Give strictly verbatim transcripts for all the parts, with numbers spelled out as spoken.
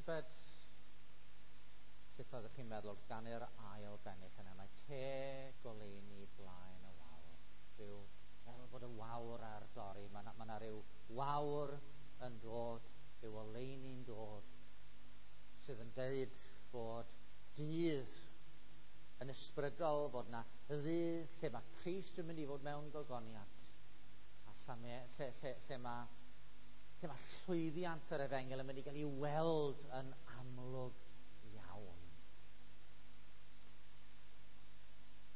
Tybed sut oeddech chi'n meddwl wrth ganu'r ail bennill yna? Mae te goleuni blaen y wawr. Rhyw, fel bod y wawr ar dorri. Mae yna, ma na ryw wawr yn dod, rhyw oleuni'n dod, sydd yn deud bod dydd yn ysbrydol, bod yna ddydd lle mae Crist yn mynd i fod mewn gogoniant, a lle, lle, lle, lle mae lle mae llwyddiant yr efengyl yn mynd i gael ei weld yn amlwg iawn.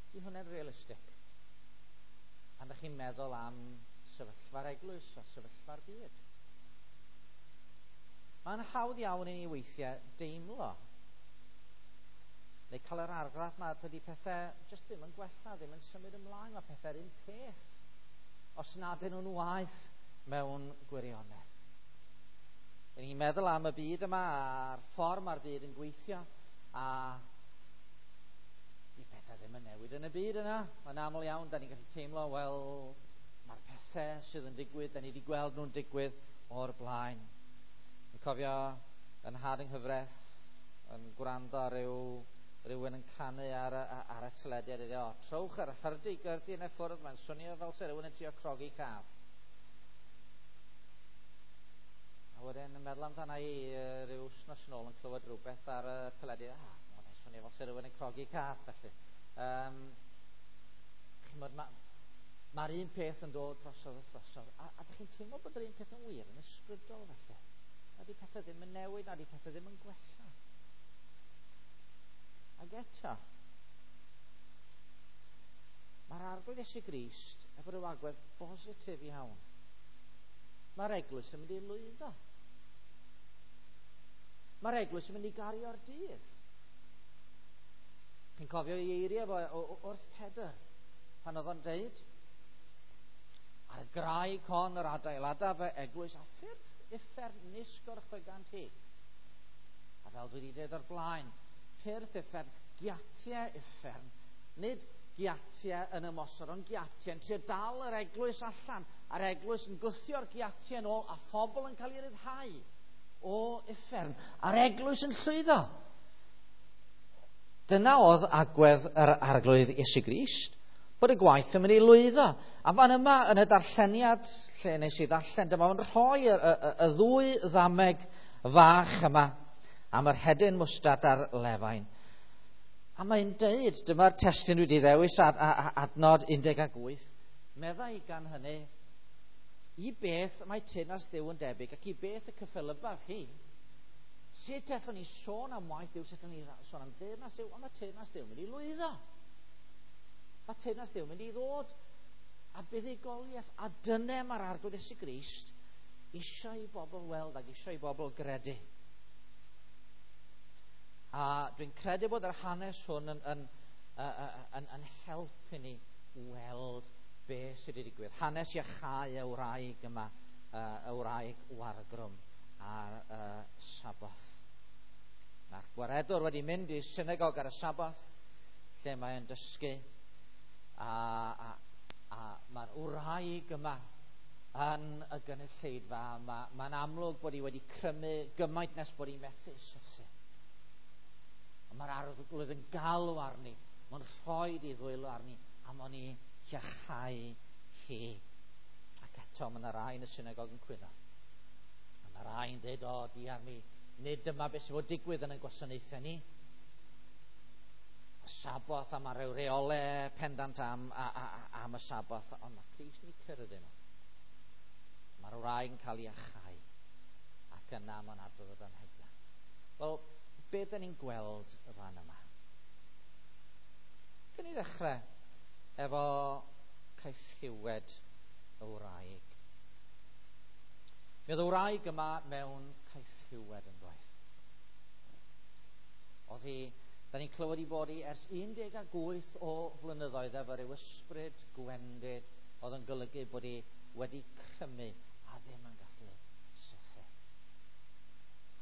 Ydy hwnna'n realistig? Pan ydych chi'n meddwl am sefyllfa'r eglwys a sefyllfa'r byd? Mae'n hawdd iawn i ni weithiau deimlo neu cael yr argraff na dydy pethau jyst ddim yn gwella, ddim yn symud ymlaen, mae pethau'r un peth, os nad ydyn nhw'n waeth mewn gwirionedd. Dyn ni'n meddwl am y byd yma a'r ffordd mae'r byd yn gweithio, a di pethau ddim yn newid yn y byd yna. Mae'n aml iawn, da ni'n gallu teimlo, wel, mae'r pethau sydd yn digwydd, da ni wedi gweld nhw'n digwydd o'r blaen. Yn cofio yn nhad yng nghyfraith yn gwrando ar ryw rhywun yn canu ar y, ar y teledu a dweud, o, trowch yr hyrdi-gyrdi yn y ffwrdd, mae'n swnio fel se rhywun yn trio crogi cath. A wedyn yn meddwl amdana i ryw wythnos yn ôl yn clywed rhywbeth ar y teledu, ah, mae'n swnio fel se rhywun yn crogi cath, felly. Um, chimod, mae'r ma un peth yn dod drosodd a throsodd, a, a dych chi'n teimlo bod yr un peth yn wir yn ysbrydol, felly. Na di pethau ddim yn newid, na di pethau ddim yn gwella. Ac eto, mae'r Arglwydd Iesu Grist efo rhyw agwedd bositif iawn. Mae'r eglwys yn mynd i lwyddo. Mae'r eglwys yn mynd i gario'r dydd. Chi'n cofio ei eiriau fo wrth Pedr, pan oedd o'n deud, ar y graig hon yr adeiladaf fy eglwys a ffyrdd uffern nis gorchfygant hi. A fel dwi wedi dweud o'r blaen, pyrth uffern, giatiau uffern, nid giatiau yn ymosod, ond giatiau yn trio dal yr eglwys allan, a'r eglwys yn gwthio'r giatiau yn ôl, a phobl yn cael ei ryddhau o uffern, a'r eglwys yn llwyddo. Dyna oedd agwedd yr Arglwydd Iesu Grist, bod y gwaith yn mynd i lwyddo. A fan yma yn y darlleniad, lle nes i ddarllen, dyma fo'n rhoi y, y, y, y ddwy ddameg fach yma am yr hedyn mwstad a'r lefain. A mae'n deud, dyma'r testun dwi wedi ddewis ad, ad, adnod un deg wyth, meddai gan hynny, i beth mae teyrnas Dduw yn debyg ac i beth y cyffelybbaf hi? Sut allwn ni sôn am waith Duw, sut allwn ni sôn am deyrnas Dduw? Ond mae teyrnas Dduw yn mynd i lwyddo. Mae teyrnas Dduw yn mynd i ddod a buddugoliaeth, a dyna mae'r Arglwydd Iesu Grist eisiau i bobl weld ac eisiau i bobl gredu. A dwi'n credu bod yr hanes hwn yn, yn, yn, yn, yn helpu ni weld beth sydd wedi digwydd. Hanes iachau y wraig yma, y wraig wargrwm ar y Saboth. Mae'r gwaredwr wedi mynd i synagog ar y Saboth, lle mae'n dysgu, a, a, a mae'r wraig yma yn y gynulleidfa, mae'n ma amlwg bod hi wedi crymu gymaint nes bod hi'n methu sythu. Mae'r Arglwydd yn galw arni, mae'n rhoi ei ddwylo arni, a mae'n ei iachau hi. Ac eto, mae yna rai yn y synagog yn cwyno. A mae rai yn dweud, o, diar mi, nid dyma beth sydd fod digwydd yn y gwasanaethau ni. Y Saboth, a mae rhyw reolau pendant am, a, a, a, am y Saboth, ond mae Crist yn eu cyrraedd nhw. Mae'r wraig yn cael ei iachau, ac yna mae'n adrodd y damhegla. Wel, beth dyn ni'n gweld y fan yma? Gyn ni ddechrau efo caethiwed y wraig. Mi oedd y wraig yma mewn caethiwed yn doedd. Oedd hi, da ni'n clywed i bod hi ers un deg wyth o flynyddoedd efo ryw ysbryd gwendid oedd yn golygu bod hi wedi crymu a ddim yn gallu sythu.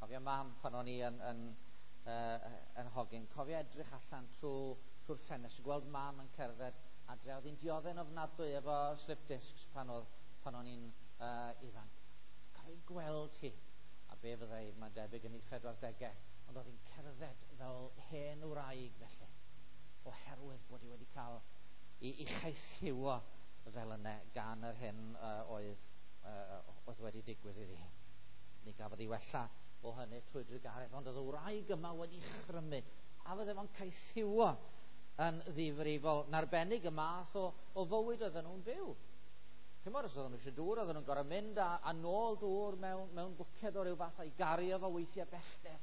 Cofio mam pan o'n i yn, yn, uh, yn hogyn, cofio edrych allan trwy, trwy'r ffenest, gweld mam yn cerdded adre. Oedd hi'n dioddef'n ofnadwy efo slip discs pan oedd, pan o'n i'n uh, ifanc. Cofio gweld hi. A A be fyddai, mae'n debyg yn ei phedwardegau, ond oedd hi'n cerdded fel hen wraig felly, oherwydd bod hi wedi cael ei, ei chaethiwo fel yna gan yr hyn uh, oedd, uh, oedd wedi digwydd iddi hi. Mi gafodd hi wella o hynny trwy drugaredd, ond oedd y wraig yma wedi chrymu, a fydde fo'n caethiwo yn ddifrifol, yn arbennig y math o, o fywyd oedden nhw'n byw. Chimod, os oedden nhw eisiau dŵr, oedden nhw'n gorfod mynd a, a nôl dŵr mewn, mewn bwced o ryw fath a'i gario fo weithiau bellter.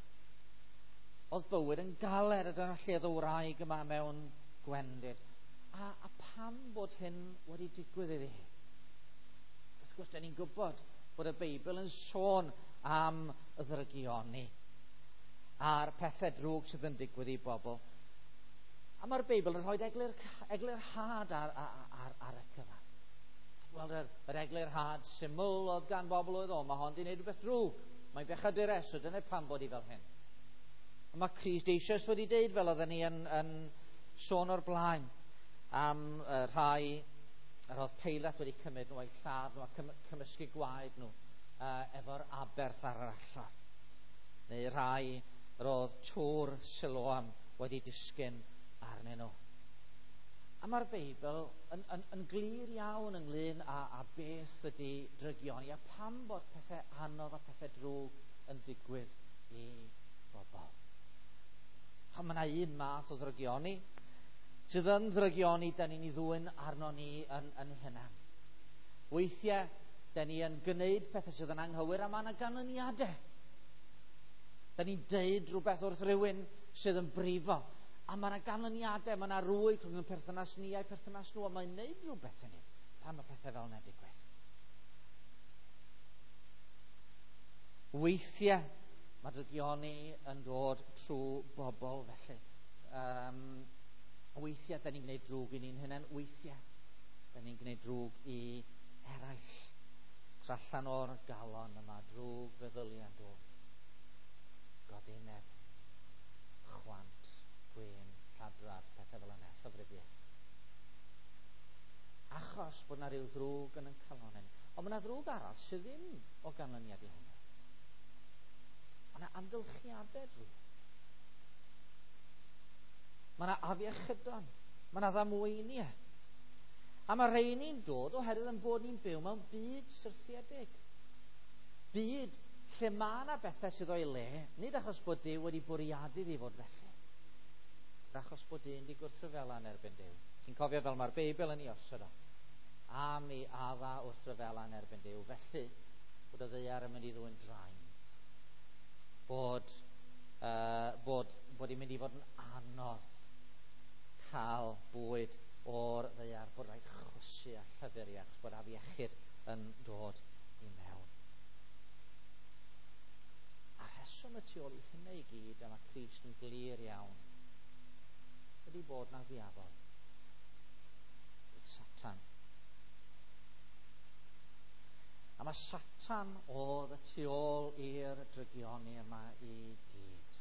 Oedd bywyd yn galed, a dyna lle oedd y wraig yma mewn gwendid. A, a pam bod hyn wedi digwydd iddi hi? Wrth gwrs, da ni'n gwybod bod y Beibl yn sôn am y ddrygioni a'r pethau drwg sydd yn digwydd i bobl. A mae'r Beibl yn rhoi eglur, eglurhad ar, ar, ar, ar y cyfan. Wel, yr, yr eglurhad syml oedd gan bobl oedd o, mae hon di wneud rhywbeth drwg. Mae'n bechadures, so dyna pam bod hi fel hyn. A mae Crist eisoes wedi deud, fel oedden ni yn, yn sôn o'r blaen, am uh, rhai yr oedd Peilat wedi cymryd nhw a'i lladd nhw a cym cymysgu gwaed nhw uh, efo'r aberth ar yr allor. Neu rhai yr oedd tŵr Siloam wedi disgyn arnyn nhw. A mae'r Beibl yn, yn, yn glir iawn ynglyn â, â beth ydy drygioni a pam bod pethau anodd a pethau drwg yn digwydd i bobl. A mae yna un math o ddrygioni sydd yn ddrygioni da ni'n ei ddwyn arno ni yn, yn hunan. Weithiau, da ni yn gwneud pethau sydd yn anghywir a mae yna ganlyniadau. Da ni'n deud rhywbeth wrth rhywun sydd yn brifo. A mae yna ganlyniadau, mae yna rwyg rhwng y perthynas ni a'i perthynas nhw, a mae'n neud rhywbeth i ni pan mae pethau fel yna digwydd. Weithiau, mae drygioni yn dod trwy bobl felly. Um, weithiau, da ni'n gwneud drwg i ni'n hunain. Weithiau, da ni'n gwneud drwg i eraill. Cos allan o'r galon yma, drwg feddyliau'n dod. Godineb, chwant, gwyn, lladrad, pethau fel yna, llofruddiaeth. Achos bod yna rhyw ddrwg yn ein calon ni. Ond mae yna ddrwg arall sydd ddim o ganlyniad i hynny. Mae yna amgylchiadau drwg. Mae yna afiechydon. Mae yna ddamweiniau. A mae rheini'n dod oherwydd yn bod ni'n byw mewn byd syrthiedig. Byd lle mae yna bethau sydd o'i le, nid achos bod Duw wedi bwriadu iddi fod felly, achos bod dyn wedi gwrthryfela yn erbyn Duw. Ti'n cofio fel mae'r Beibl yn ei osod o. Am i Adda wrthryfela yn erbyn Duw. Felly, bod y ddaear yn mynd i ddwyn draen. Bod, uh, bod, bod hi'n mynd i fod yn anodd cael bwyd o'r ddaear, bod rhaid chwysu a llyfr achos bod afiechyd yn dod i mewn. A rheswm y tu ôl i hynny i gyd, a mae Crist yn glir iawn, ydy bod na ddiafol, Satan. A mae Satan oedd y tu ôl i'r drygioni yma i gyd.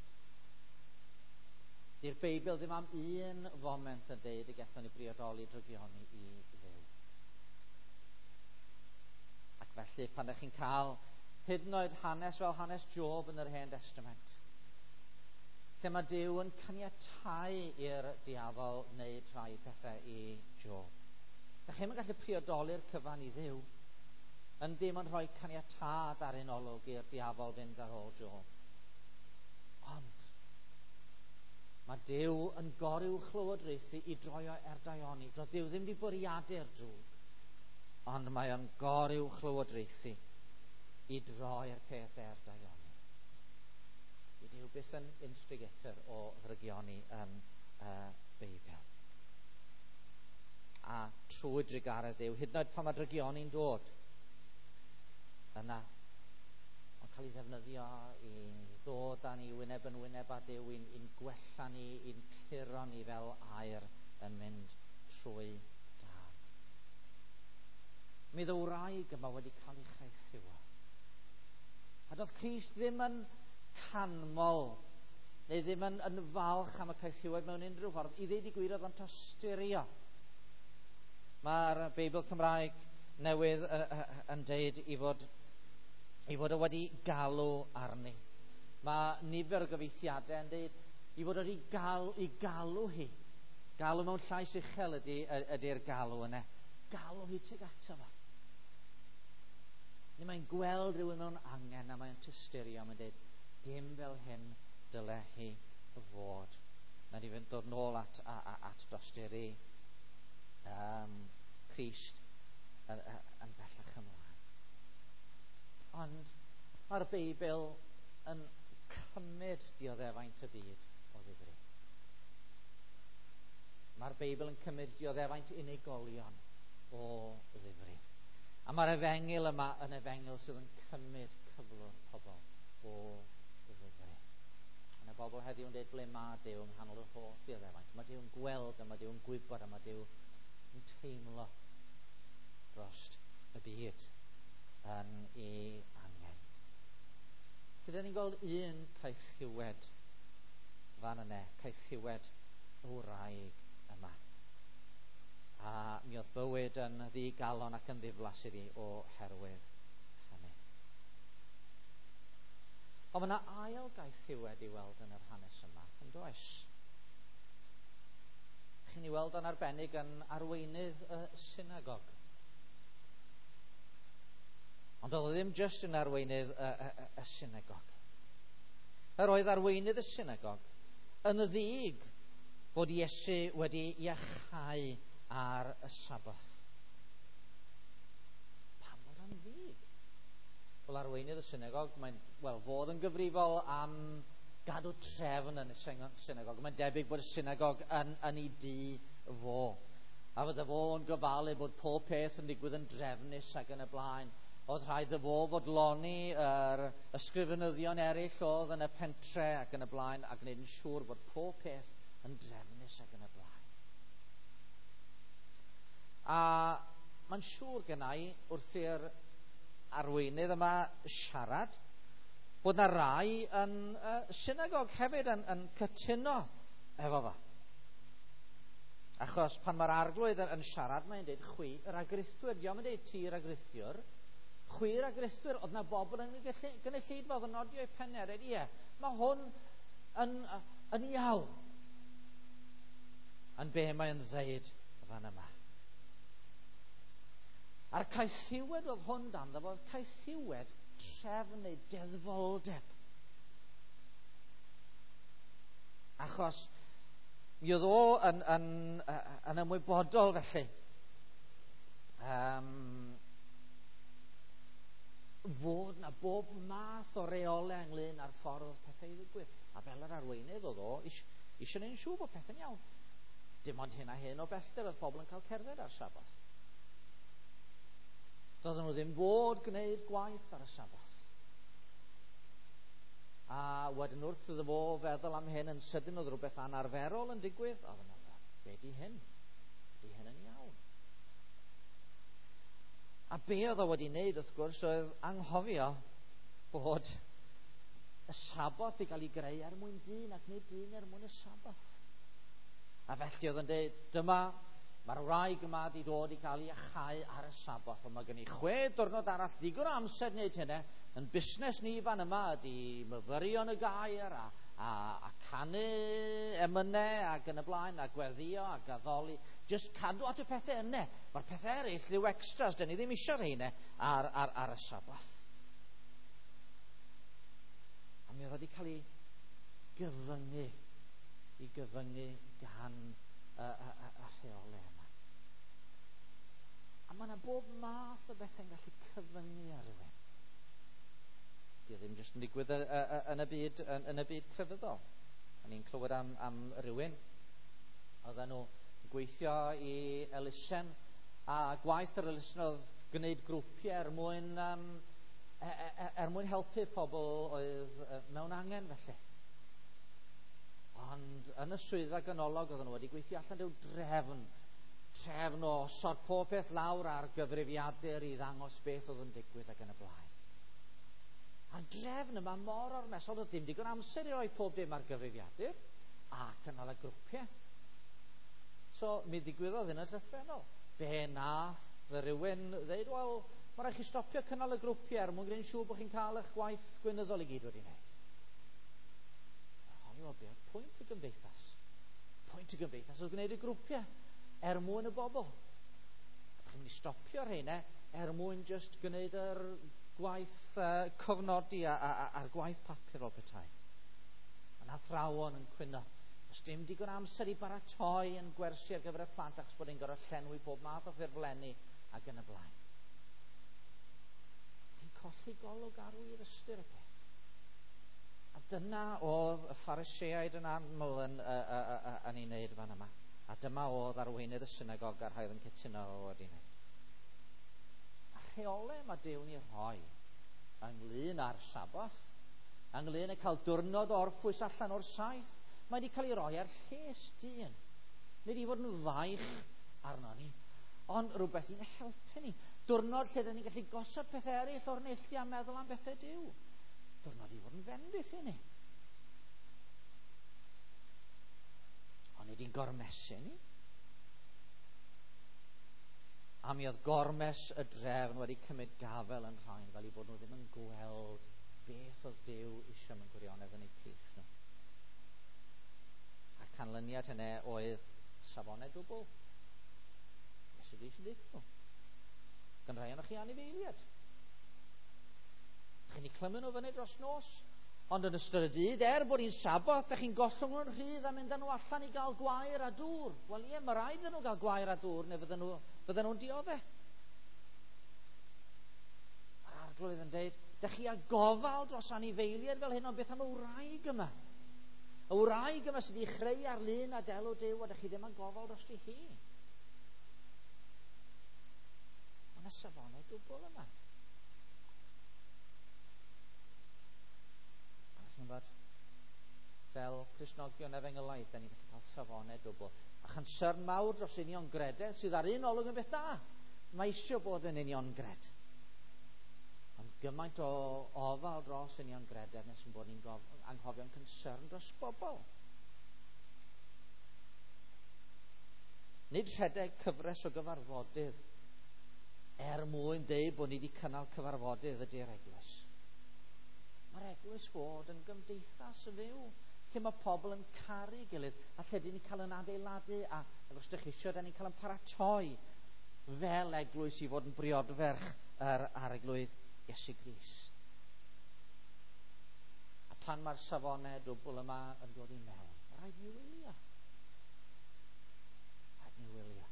Di'r Beibl ddim am un foment yn deud y gallwn ni briodoli drygioni i Dduw. Ac felly pan ydych chi'n cael hyd yn oed hanes fel hanes Job yn yr Hen Testament, lle mae Duw yn caniatáu i'r diafol wneud rhai pethau i Job. Dach chi'm yn gallu priodoli'r cyfan i Dduw, yn ddim yn rhoi caniatâd ar un olwg i'r diafol fynd ar ôl Job. Ond mae Duw yn goruwchlywodraethu i droi o er daioni. Doedd Duw ddim wedi bwriadu'r drwg, ond mae o'n goruwchlywodraethu i droi'r peth er daioni. Di Duw byth yn instigator o ddrygioni yn y Beibl. A trwy drugaredd Duw, hyd yn oed pan mae drygioni'n dod, yna, mae'n cael ei ddefnyddio i ddod â ni wyneb yn wyneb â Duw, i'n, i'n gwella ni, i'n puro ni fel aer yn mynd trwy dân. Mi ddwraig yma wedi cael ei chaethiwo. A doedd Crist ddim yn canmol neu ddim yn, yn falch am y caethiwed mewn unrhyw ffordd. I ddeud i gwir, oedd o'n tosturio. Mae'r Beibl Cymraeg newydd yn deud i fod Ei fod o wedi galw arni. Mae nifer o gyfieithiadau yn dweud i fod wedi gal, i galw hi. Galw mewn llais uchel ydy, ydy'r galw yna. Galw hi tuag ato fo. Neu mae'n gweld rhywun mewn angen a mae'n tysturio, mae'n dweud, dim fel hyn dyle hi fod. Mae'n i fynd dod nôl at, a, a, at dosturi um, Crist yn, yn bellach ymlaen. Ond mae'r Beibl yn cymryd dioddefaint y byd o ddifri. Mae'r Beibl yn cymryd dioddefaint unigolion o ddifri. A mae'r efengyl yma yn efengyl sydd yn cymryd cyflwr pobl o ddifri. Mae yna bobl heddiw yn dweud ble mae Duw yng nghanol yr holl ddioddefaint. Mae Duw yn gweld a mae Duw yn gwybod a mae Duw yn teimlo dros y byd yn ei angen. Felly, dyn ni'n gweld un caethiwed fan yna, caethiwed y wraig yma. A mi oedd bywyd yn ddigalon ac yn ddiflas iddi oherwydd hynny. Ond mae yna ail gaethiwed i weld yn yr hanes yma, yn does? Chi'n ei weld yn arbennig yn arweinydd y synagog. Ond oedd o ddim jyst yn arweinydd y, y, y, y synagog. Yr oedd arweinydd y synagog yn ddig bod Iesu wedi iachau ar y Saboth. Pam bod o'n ddig? Wel, arweinydd y synagog, mae'n, wel, fod yn gyfrifol am gadw trefn yn y synagog. Mae'n debyg bod y synagog yn, yn ei dŷ fo. A fydde fo'n gofalu bod pob peth yn digwydd yn drefnus ac yn y blaen. Oedd rhaid iddo fo fodloni yr ysgrifenyddion eraill oedd yn y pentre ac yn y blaen, a gwneud yn siŵr bod pob peth yn drefnus ac yn y blaen. A mae'n siŵr gennau wrth i'r arweinydd yma siarad bod na rai yn uh, synagog hefyd yn, yn cytuno efo fo. Achos pan mae'r arglwydd yn, yn siarad, mae'n dweud chwi yr agrithwyr. Dio'm yn dweud ti yr agrithiwr. Chwi yr agrithwyr. Oedd na bobl yn gynulleidfa oedd yn nodio eu pennau a dweud, ie, mae hwn yn, yn iawn. Yn be mae'n ddeud fan yma. A'r caethiwed oedd hwn dan ddo, oedd caethiwed trefn neu deddfoldeb. Achos mi oedd o yn, yn, yn ymwybodol felly um, fod na bob math o reolau ynglyn â'r ffordd oedd pethau i ddigwydd. A fel yr arweinydd oedd o eisiau gwneud yn siŵr bod pethau'n iawn. Dim ond hyn a hyn o bellter oedd pobl yn cael cerdded ar Saboth. Doedden nhw ddim fod gwneud gwaith ar y Saboth. A wedyn wrth iddo fo feddwl am hyn, yn sydyn oedd rhywbeth anarferol yn digwydd, oedd yn meddwl, be di hyn? Di hyn yn iawn? A be oedd o wedi wneud, wrth gwrs, oedd anghofio bod y Saboth wedi cael ei greu er mwyn dyn ac nid dyn er mwyn y Saboth. A felly oedd yn dweud, dyma, mae'r wraig yma wedi dod i gael ei achau ar y Saboth, ond mae gen i chwe diwrnod arall ddigon o amser wneud hynny. Yn busnes ni fan yma ydy myfyrio yn y gair a, a, a canu emynau ac yn y blaen a gweddio ac addoli. Just cadw at y pethau yna. Mae'r pethau eraill rhyw extras, dyn ni ddim eisiau rheina ar, ar, ar y Saboth. A mi oedd wedi cael ei gyfyngu, ei gyfyngu gan y, y, y, y rheolau yma. A mae yna bob math o bethau'n gallu cyfyngu ar rhywun. Di o ddim jyst yn digwydd yn y byd, yn, yn y byd crefyddol. O'n i'n clywed am, am rywun. Oedden nhw gweithio i elusen, a gwaith yr elusen oedd gwneud grwpiau er mwyn, um, er mwyn helpu pobl oedd mewn angen felly. Ond yn y swyddfa ganolog oedden nhw wedi gweithio allan rhyw drefn, trefn o osod pob peth lawr ar gyfrifiadur i ddangos beth oedd yn digwydd ac yn y blaen. A'r drefn yma mor ormesol, oedd dim digon amser i roi pob dim ar gyfrifiadur a cynnal y grwpiau. So mi ddigwyddodd hyn yn llythrennol. Be nath fy rhywun ddeud, wel, Mae rhaid chi stopio cynnal y grwpiau er mwyn gwneud yn siŵr bod chi'n cael eich gwaith gweinyddol i gyd wedi wneud. Honni, wel, beth pwynt y gymdeithas? Pwynt y gymdeithas oedd gwneud y grwpiau er mwyn y bobl. A chi'n mynd i stopio rheina er mwyn just gwneud yr gwaith uh, cofnodi a, a, a, a'r gwaith papur fel petai. Mae'n athrawon yn cwyno. Does dim digon amser i baratoi yn gwersi ar gyfer y plant achos bod ni'n gorfod llenwi pob math o ffurflenni ac yn y blaen. Chi'n colli golwg ar wir ystyr y peth. A dyna oedd y Phariseaid yn aml yn, uh, uh, uh, yn ei wneud fan yma. A dyma oedd arweinydd y synagog a'r rhai oedd yn cytuno wedi wneud. A rheolau mae Duw'n ei rhoi ynglyn â'r Saboth, ynglyn â cael diwrnod o orffwys allan o'r saith, mae wedi cael ei roi ar lles dyn. Nid i fod yn faich arno ni, ond rhywbeth i'n helpu ni. Diwrnod lle dyn ni'n gallu gosod pethau eraill o'r neilltu a meddwl am bethau Duw. Diwrnod i fod yn fendith i ni. Ond nid i'n gormesu ni. A mi oedd gormes y drefn wedi cymryd gafel yn rhain fel i bod nhw ddim yn gweld beth oedd Duw eisiau mewn gwirionedd yn eu plith nhw. A canlyniad hynny oedd safonau dwbl. Iesu Grist yn deutha nhw. Gan rai ohonoch chi anifeiliaid. Dych chi'n eu clymu nhw fyny dros nos, ond yn ystod y dydd, er bod hi'n Saboth, dych chi'n gollwng nhw'n rhydd a mynd â nhw allan i gael gwair a dŵr. Wel ie, mae rhaid iddyn nhw gael gwair a dŵr, neu fydden nhw, fydden nhw'n dioddef. Mae'r Arglwydd yn deud, dych chi â gofal dros anifeiliaid fel hyn, ond beth am y wraig yma? Y wraig yma sydd wedi chreu ar lun a delw Duw, a dych chi ddim yn gofal dros hi. Mae yna safonau dwbl yma. A chi'n gwybod, fel Cristnogion efengylaidd, da ni'n gallu cael safonau dwbl. A chansern mawr dros uniongrededd sydd ar un olwg yn beth da. Mae eisiau bod yn uniongred. Ond gymaint o ofal dros uniongrededd nes yn bod ni'n anghofio'n concern dros bobl. Nid rhedeg cyfres o gyfarfodydd er mwyn deud bod ni wedi cynnal cyfarfodydd ydy'r eglwys. Mae'r eglwys fod yn gymdeithas fyw, lle mae pobl yn caru gilydd, a lle dyn ni'n cael yn adeiladu, a ac os ydych chi eisiau, dyn ni'n cael yn paratoi fel eglwys i fod yn briodferch yr Arglwydd Iesu Grist. A pan mae'r safonau dwbl yma yn dod i mewn, mae rhaid ni wylio. Rhaid ni wylio.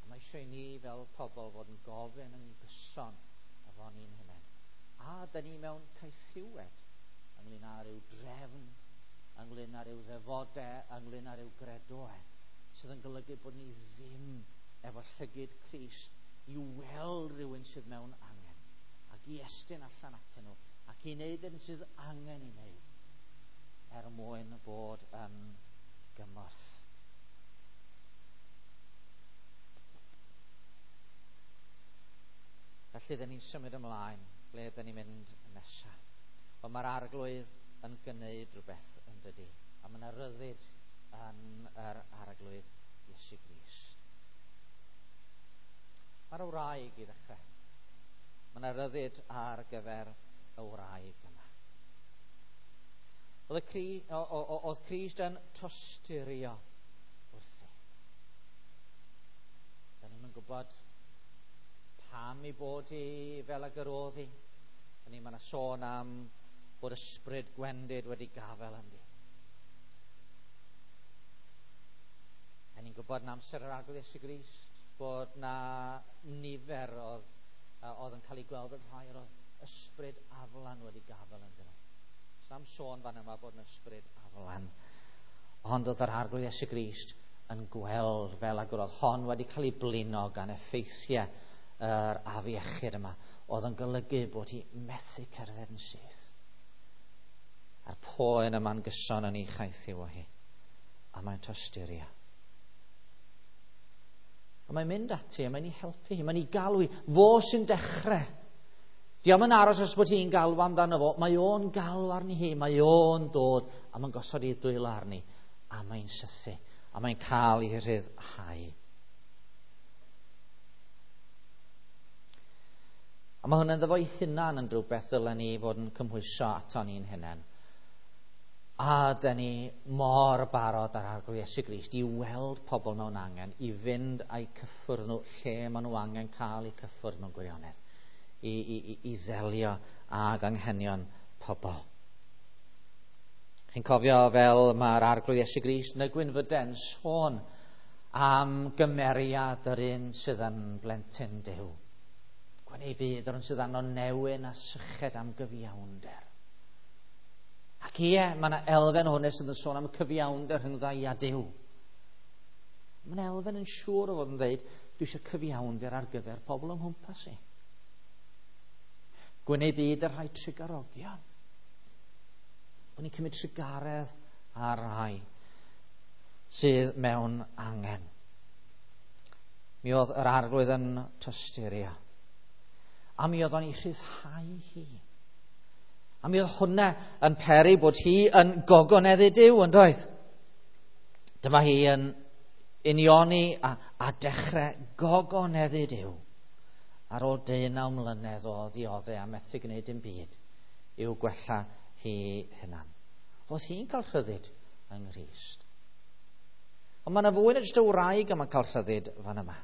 A mae eisiau i ni fel pobl fod yn gofyn yn gyson efo ni'n hunain. A dyn ni mewn caethiwed ynglyn â rhyw drefn, ynglyn â rhyw ddefodau, ynglyn â rhyw gredoau, sydd yn golygu bod ni ddim efo llygid Crist i weld rhywun sydd mewn angen, ac i estyn allan atyn nhw, ac i wneud yr hyn sydd angen i wneud, er mwyn bod yn gymorth. Felly, dyn ni'n symud ymlaen, ble dyn ni'n mynd nesaf. Wel, mae'r Arglwydd yn gwneud rhywbeth yn dydi, a mae yna ryddid yn yr Arglwydd Iesu Grist. Mae'r wraig i ddechrau. Mae yna ryddid ar gyfer y wraig yma. Oedd, y Cri, o, o, oedd Crist yn tosturio wrthi. Da ni'n gwybod pam i bod hi fel ag yr oedd hi. Ni mae yna sôn am bod ysbryd gwendid wedi gafel ynddi. A ni'n gwybod yn amser yr Arglwydd Iesu Grist bod na nifer oedd, oedd yn cael ei gweld yn rhai oedd ysbryd aflan wedi gafel ynddyn nhw. Sam sôn fan yma bod yn ysbryd aflan. Ond oedd yr Arglwydd Iesu Grist yn gweld fel ag oedd hon wedi cael ei blino gan effeithiau yr afiechyd yma, oedd yn golygu bod hi methu cerdded yn syth. A'r poen yma'n gyson yn ei chaethiw o hi. A mae'n tosturio. A mae'n mynd ati, a mae'n ei helpu hi, mae'n ei galw hi. Fo sy'n dechrau. Dio'm yn aros os bod hi'n galw amdano fo. Mae o'n galw arni hi, mae o'n dod, a mae'n gosod ei dwylo arni, a mae'n sythu, a mae'n cael ei rhyddhau. A mae hwnna'n ddefo'i hunan yn rhywbeth ddylen ni fod yn cymhwyso ato ni'n hunain. A dyn ni mor barod ar Arglwydd Iesu Grist i weld pobl mewn angen, i fynd a'u cyffwrdd nhw lle maen nhw angen cael eu cyffwrdd mewn gwirionedd, i, i, i, i ddelio ag anghenion pobl. Chi'n cofio fel mae'r Arglwydd Iesu Grist yn y Gwynfyden sôn am gymeriad yr un sydd yn blentyn Duw. Gwn ei fyd yr un sydd arno newyn a syched am gyfiawnder. Ac ie, mae yna elfen hwnna sydd yn sôn am cyfiawnder rhwng ddau a Duw. Mae yna elfen yn siŵr o fod yn dweud, dwi eisiau cyfiawnder ar gyfer pobl yng nghwmpas i. Gwyn ei byd y rhai trugarogion. Bod ni'n cymryd trugaredd ar rai sydd mewn angen. Mi oedd yr Arglwydd yn tosturio. A mi oedd o'n ei rhyddhau hi. A mi oedd hwnna yn peri bod hi yn gogoneddu Duw, yn doedd? Dyma hi yn unioni a, a dechrau gogoneddu Duw ar ôl deunaw mlynedd o ddioddef a methu gwneud dim byd i'w gwella hi hunan. Oedd hi'n cael rhyddid yng Nghrist. Ond mae yna fwy na jyst y wraig yma'n cael rhyddid fan yma.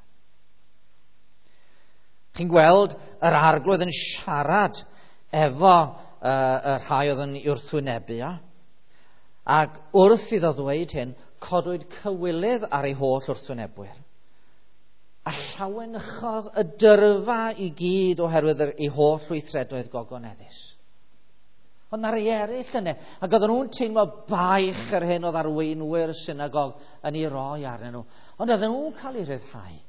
Chi'n gweld yr Arglwydd yn siarad efo uh, y rhai oedd yn wrthwynebu o. Ac wrth iddo ddweud hyn, codwyd cywilydd ar ei holl wrthwynebwyr. A llawenychodd y dyrfa i gyd oherwydd ei holl weithredoedd gogoneddus. Ond na rei eraill yna, ac oedden nhw'n teimlo baich yr hyn oedd arweinwyr synagog yn ei roi arnyn nhw. Ond oedden nhw'n cael eu rhyddhau.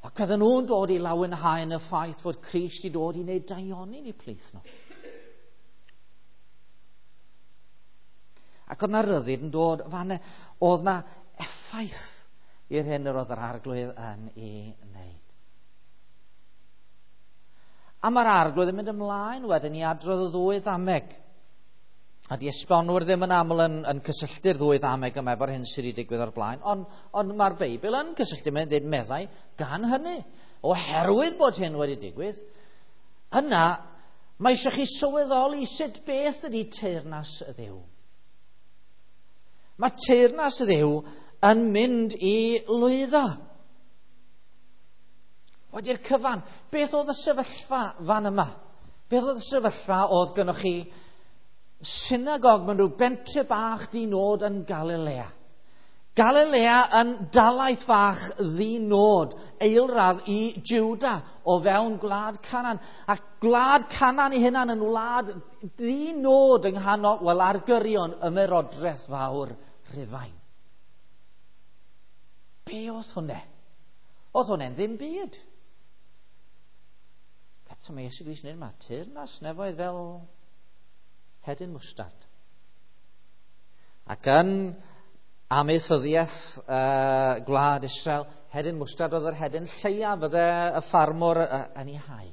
Ac oedden nhw'n dod i lawenhau yn y ffaith fod Crist i dod i wneud daioni yn eu plith nhw. Ac oedd na ryddid yn dod fan, oedd na effaith i'r hyn yr oedd yr Arglwydd yn ei wneud. A mae'r Arglwydd yn mynd ymlaen wedyn i adrodd y ddwy ddameg. A di esbonwyr ddim yn aml yn, yn cysylltu'r ddwy ddameg yma efo'r hyn sydd wedi digwydd o'r blaen, ond, ond mae'r Beibl yn cysylltu, mae'n dweud meddai gan hynny. Oherwydd bod hyn wedi digwydd, yna mae eisiau chi sylweddoli sut beth ydy teyrnas y Dduw. Mae teyrnas y Dduw yn mynd i lwyddo. Wedi'r cyfan, beth oedd y sefyllfa fan yma? Beth oedd y sefyllfa oedd gynnwch chi synagog mewn rhyw bentre bach di-nod yn Galilea? Galilea yn dalaith fach ddi-nod, eilradd i Juda o fewn gwlad Canan. A gwlad Canan ei hunan yn wlad ddi-nod yng nghanol, wel, ar gyrion ymerodraeth fawr Rhufain. Be oedd hwnna? Oedd hwnna'n ddim byd. Eto mae Iesu Grist yn dweud, mae teyrnas nefoedd fel hedyn mwstard. Ac yn amaethyddiaeth uh, gwlad Israel, hedyn mwstard oedd yr hedyn lleiaf fydde y ffarmwr uh, yn ei hau.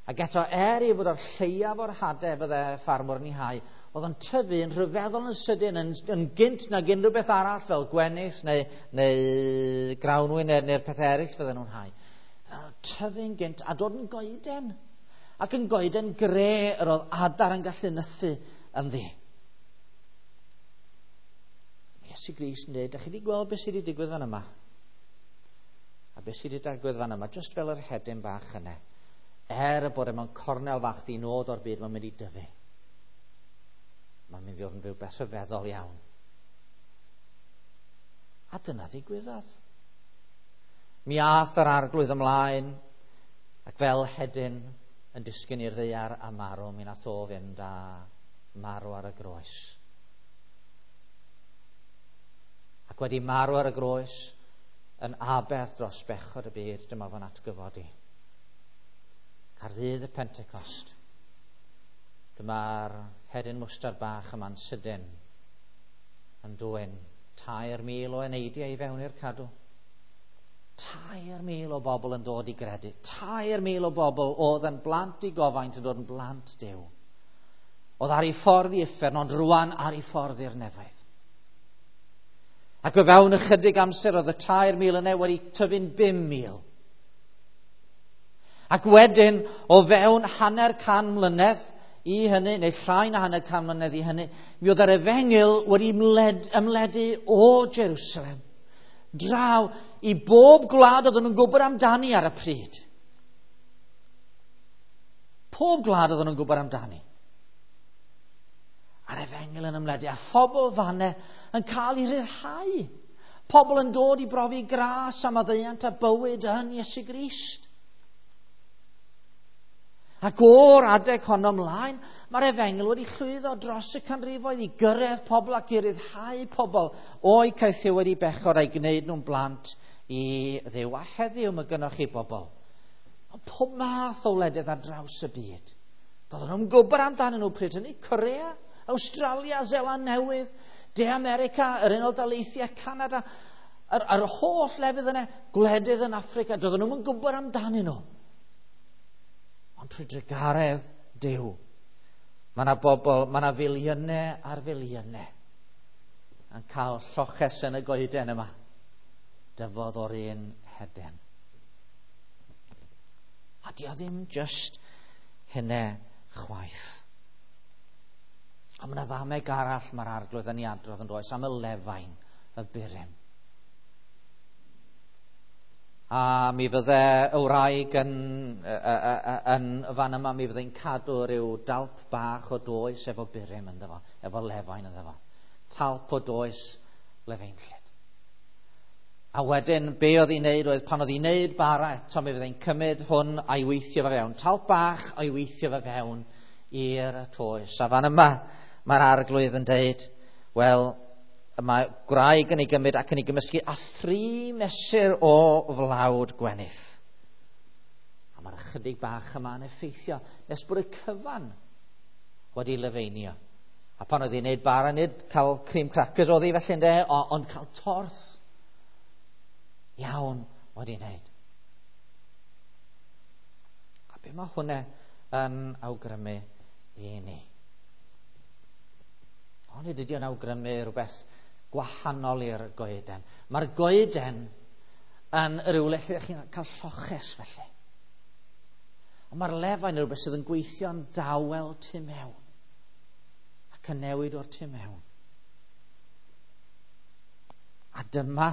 Ac eto, er ei fod o'r lleiaf o'r hadau fydde y ffarmwr yn ei hau, oedd o'n tyfu yn rhyfeddol yn sydyn, yn, yn gynt nag unrhyw beth arall fel gwenith neu, neu grawnwyn neu, neu'r pethau eraill fydden nhw'n hau. Fydden nhw'n tyfu'n gynt a dod yn goeden. Ac yn goeden gre yr oedd adar yn gallu nythu ynddi. Iesu Grist yn dweud, da chi wedi gweld beth sydd wedi digwydd fan yma? A beth sydd wedi digwydd fan yma, just fel yr hedyn bach yna. Er y bod e mewn cornel fach di nod o'r byd, mae'n mynd i dyfu. Mae'n mynd i fod yn rhywbeth rhyfeddol iawn. A dyna ddigwyddodd. Mi ath yr Arglwydd ymlaen, ac fel hedyn yn disgyn i'r ddaear a marw, mi nath o fynd a marw ar y groes. Ac wedi marw ar y groes, yn aberth dros bechod y byd, dyma fo'n atgyfodi. Ac ar ddydd y Pentecost, dyma'r hedyn mwstard bach yma'n sydyn yn dwyn tair mil o eneidiau i fewn i'r cadw. Tair mil o bobl yn dod i gredu. Tair mil o bobl oedd yn blant i gofaint yn dod yn blant Duw. Oedd ar ei ffordd i uffern, ond rwan ar ei ffordd i'r nefoedd. Ac o fewn ychydig amser oedd y tair mil yna wedi tyfu'n bum mil. Ac wedyn, o fewn hanner can mlynedd i hynny, neu llai na hanner can mlynedd i hynny, mi oedd yr efengyl wedi ymled, ymledu o Jerusalem draw i bob gwlad oedden nhw'n gwybod amdani ar y pryd. Pob gwlad oedden nhw'n gwybod amdani. A'r efengyl yn ymledu, a phobl fanne yn cael ei ryddhau. Pobl yn dod i brofi gras a maddeuant a bywyd yn Iesu Grist. Ac o'r adeg honno ymlaen, mae'r efengyl wedi llwyddo dros y canrifoedd i gyrraedd pobl ac i ryddhau pobl o'i caethiwed i bechod a'i gwneud nhw'n blant i Dduw. A heddiw mae gynnoch chi bobl. Pob math o wledydd ar draws y byd. Doedden nhw'n gwybod amdanyn nhw pryd hynny. Corea, Awstralia, Seland Newydd, De America, yr Unol Daleithiau, Canada, yr, yr holl lefydd yna, gwledydd yn Affrica, doedden nhw'n gwybod amdanyn nhw. Ond trwy drugaredd Duw, mae yna bobl, mae yna filiynau ar filiynau yn cael lloches yn y goeden yma. Dyfodd o'r un heden. A di o ddim just hynny chwaith. Ond mae yna ddameg arall mae'r Arglwydd yn ei adrodd yn does am y lefain, y burum. A mi fydde y wraig yn, yn fan yma, mi fydde'n cadw rhyw dalp bach o does efo burum ynddo fo, efo lefain ynddo fo. Talp o does lefeinllyd. A wedyn, be oedd hi'n neud oedd pan oedd hi'n neud bara eto, mi fydde'n cymryd hwn a'i weithio fe fewn. Talp bach a'i weithio fe fewn i'r toes. A fan yma, mae'r Arglwydd yn deud, wel, mae gwraig yn ei gymryd ac yn ei gymysgu a thri mesur o flawd gwenith. A mae'r ychydig bach yma yn effeithio nes bod y cyfan wedi lefeinio. A pan oedd hi'n neud bara, nid cael cream crackers oedd hi felly ynde, ond cael torth iawn wedi wneud. A be mae hwnna yn awgrymu i ni? Ond nid ydy o'n awgrymu rhywbeth gwahanol i'r goeden. Mae'r goeden yn rhywle lle chi'n cael lloches felly. Ond mae'r lefain yn rhywbeth sydd yn gweithio'n dawel tu mewn ac yn newid o'r tu mewn. A dyma,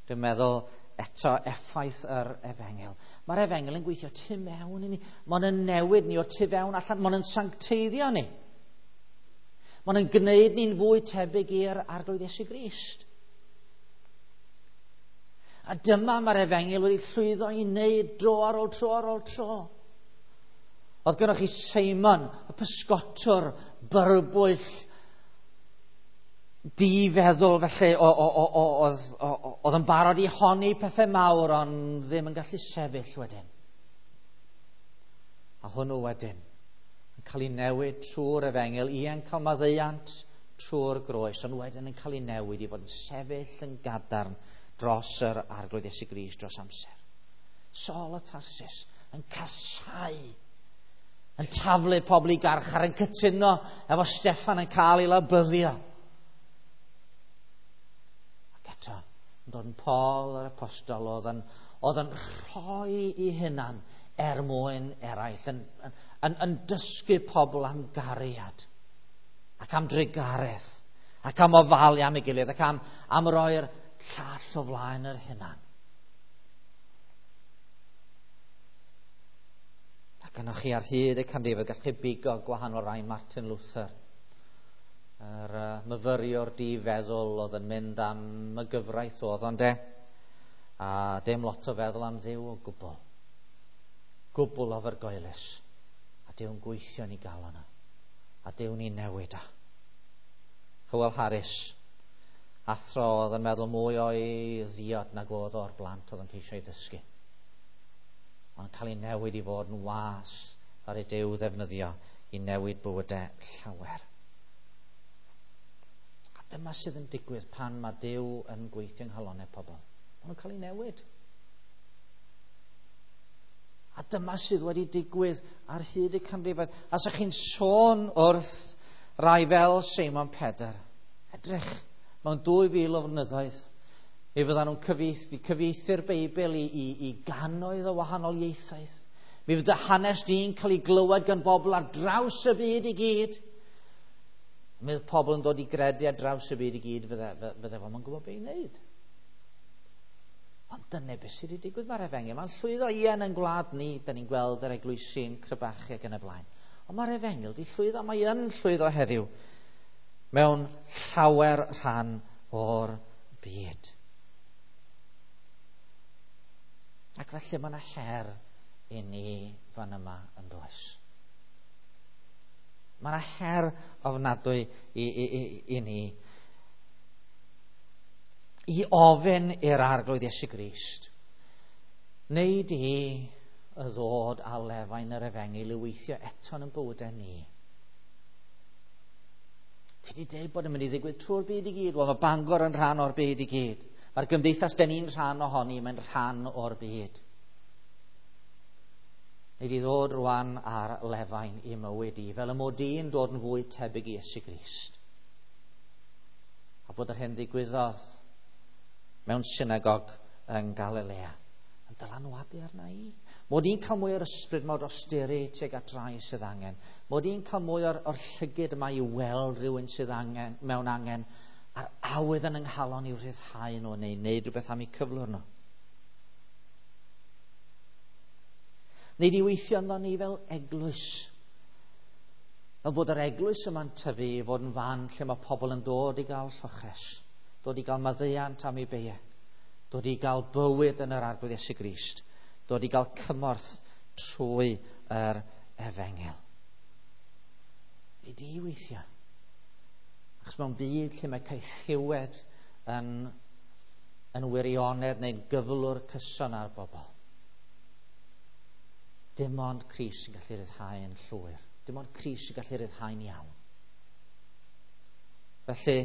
dwi'n meddwl, eto effaith yr efengyl. Mae'r efengyl yn gweithio tu mewn i ni. Mae'n newid ni o'r tu fewn allan. Mae'n sancteiddio ni. Mae'n gwneud ni'n fwy tebyg i'r Arglwydd Iesu Grist. A dyma mae'r efengyl wedi llwyddo i wneud dro ar ôl tro ar ôl tro. Oedd gynnoch chi Seimon, y pysgotwr, byrbwyll, difeddwl felly, oedd yn barod i honni pethau mawr, ond ddim yn gallu sefyll wedyn. A hwnnw wedyn yn cael ei newid trwy'r efengyl, ie'n cael maddeuant trwy'r groes, ond wedyn yn cael ei newid i fod yn sefyll yn gadarn dros yr Arglwydd Iesu Grist dros amser. Saul o Tarsus yn casáu, yn taflu pobl i garchar, yn cytuno efo Steffan yn cael ei labyddio. Ac eto, yn dod yn Paul yr apostol, oedd yn, oedd yn rhoi i hunan er mwyn eraill, yn, yn, yn, yn dysgu pobl am gariad ac am drugaredd ac am ofalu am ei gilydd ac am, am roi'r llall o flaen yr hunan. Ac yno chi ar hyd y canrifoedd, gallwch chi bigo gwahanol rai. Martin Luther, yr uh, myfyriwr difeddwl oedd yn mynd am y gyfraith oedd ond e, a dim lot o feddwl am Dduw o gwbl. Gwbl ofergoelus. A Duw'n gweithio ni gael yna. A Duw'n ni newid a. Hywel Harris, athro oedd yn meddwl mwy o'i ddiod nag oedd o'r blant oedd yn ceisio ei dysgu. Ond cael ei newid i fod yn was ar ei Duw ddefnyddio i newid bywydau llawer. A dyma sydd yn digwydd pan mae Duw yn gweithio yng nghalonnau pobl. Maen nhw'n cael ei newid. A dyma sydd wedi digwydd ar hyd y canrifoedd. A sa chi'n sôn wrth rai fel Seimon Pedr, edrych, mewn dwy fil o flynyddoedd, mi fyddan nhw'n cyfieithu, cyfieithu'r Beibl i, i, i gannoedd o wahanol ieithoedd. Mi fydd dy hanes di'n cael ei glywed gan bobl ar draws y byd i gyd. Mi fydd pobl yn dod i gredu ar draws y byd i gyd, fydde, fydde fo'm yn gwybod beth i wneud. Ond dyna beth sydd wedi digwydd. Mae'r efengyl mae'n llwyddo, ie, yn ein gwlad ni, da ni'n gweld yr eglwysi'n crebachu ac yn y blaen. Ond mae'r efengyl wedi llwyddo, mae yn llwyddo heddiw mewn llawer rhan o'r byd. Ac felly mae yna her i ni fan yma yn does. Mae yna her ofnadwy i, i, i, i ni i ofyn i'r Arglwydd Iesu Grist, wneud i y ddod a lefain yr efengyl i weithio eto yn bywydau ni. Ti wedi dweud bod yn mynd i ddigwydd trwy'r byd i gyd. Wel, mae Bangor yn rhan o'r byd i gyd. Mae'r gymdeithas den ni'n rhan ohoni, mae'n rhan o'r byd. Nid i ddod rwan ar lefain i mywyd i, fel y mod i'n dod yn fwy tebyg i Iesu Grist. A bod yr hyn ddigwyddodd mewn synagog yng Galilea yn dylanwadu arna i. Mod i'n cael mwy o'r ysbryd mod osteri tuag at rai sydd angen. Mod i'n cael mwy o'r, or llygyd yma i weld rhywun sydd angen, mewn angen, a'r awydd yn ynghalon i'w rhyddhau nhw neu wneud rhywbeth am eu cyflwr nhw. Neu i weithio ynddo ni fel eglwys. Fel bod yr eglwys yma'n tyfu i fod yn fan lle mae pobl yn dod i gael lloches, dod i gael maddeuant am eu beiau, dod i gael bywyd yn yr Arglwydd Iesu Grist, dod i gael cymorth trwy yr efengyl. Nid i weithio. Achos mewn byd lle mae caethiwed yn, yn wirionedd neu'n gyflwr cyson ar bobl, dim ond Crist sy'n gallu rhyddhau yn llwyr. Dim ond Crist sy'n gallu rhyddhau'n iawn. Felly,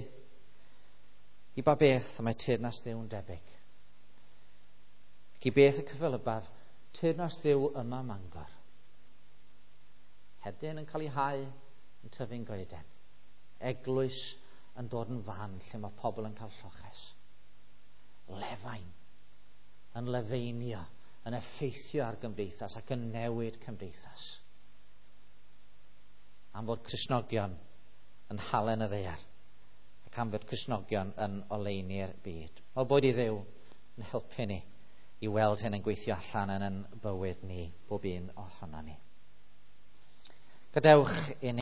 i ba beth y mae teyrnas Dduw'n debyg? Ac i beth y cyffelybaf teyrnas Dduw yma Mangor? Hedyn yn cael ei hau, yn tyfu'n goeden. Eglwys yn dod yn fan lle mae pobl yn cael lloches. Lefain yn lefeinio, yn effeithio ar gymdeithas ac yn newid cymdeithas. Am fod Cristnogion yn halen y ddaear ac am fod Cristnogion yn oleuni'r byd. Wel, boed i Dduw yn helpu ni i weld hyn yn gweithio allan yn ein bywyd ni, bob un ohono ni. Gadewch i ni